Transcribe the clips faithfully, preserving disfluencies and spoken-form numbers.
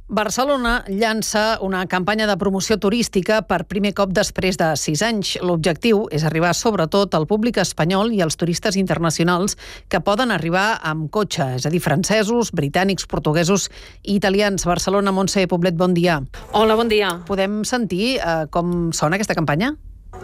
Barcelona llança una campanya de promoció turística per primer cop després de sis anys. L'objectiu és arribar sobretot al públic espanyol i als turistes internacionals que poden arribar amb cotxe, és a dir, francesos, britànics, portuguesos i italians. Barcelona, Montse Poblet, bon dia. Hola, bon dia. Podem sentir eh, com sona aquesta campanya?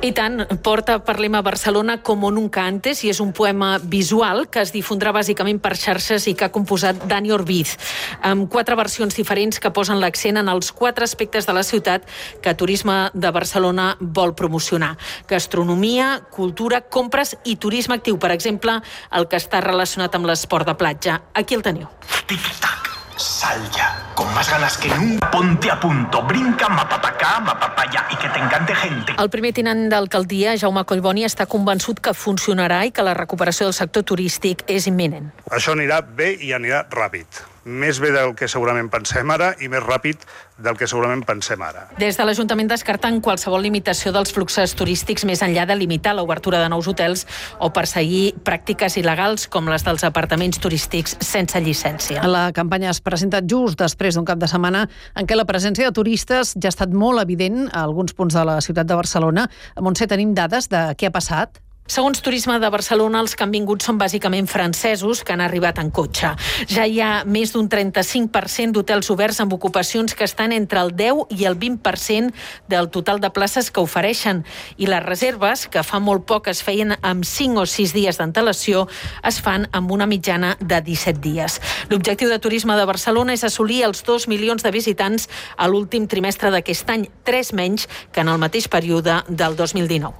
I tant, porta Parlem a Barcelona como nunca antes, i és un poema visual que es difondrà bàsicament per xarxes i que ha composat Dani Orbiz, amb quatre versions diferents que posen l'accent en els quatre aspectes de la ciutat que Turisme de Barcelona vol promocionar. Gastronomia, cultura, compres i turisme actiu, per exemple, el que està relacionat amb l'esport de platja. Aquí el teniu. Tic-tac, sal ya, con más ganas que nunca, ponte a punto, brinca, mapa pa acá, mapa pa allá, y que te encante gente. El primer tinent d'alcaldia, Jaume Collboni, està convençut que funcionarà i que la recuperació del sector turístic és imminent. Això anirà bé i anirà ràpid. Més bé del que segurament pensem ara i més ràpid del que segurament pensem ara. Des de l'Ajuntament descarten qualsevol limitació dels fluxos turístics més enllà de limitar l'obertura de nous hotels o perseguir pràctiques il·legals com les dels apartaments turístics sense llicència. La campanya es presenta just després d'un cap de setmana en què la presència de turistes ja ha estat molt evident a alguns punts de la ciutat de Barcelona. A Montse, tenim dades de què ha passat? Segons Turisme de Barcelona, els que han vingut són bàsicament francesos que han arribat en cotxe. Ja hi ha més d'un trenta-cinc per cent d'hotels oberts amb ocupacions que estan entre el deu i el vint per cent del total de places que ofereixen. I les reserves, que fa molt poc es feien amb cinc o sis dies d'antelació, es fan amb una mitjana de disset dies. L'objectiu de Turisme de Barcelona és assolir els dos milions de visitants a l'últim trimestre d'aquest any, tres menys que en el mateix període del dos mil dinou.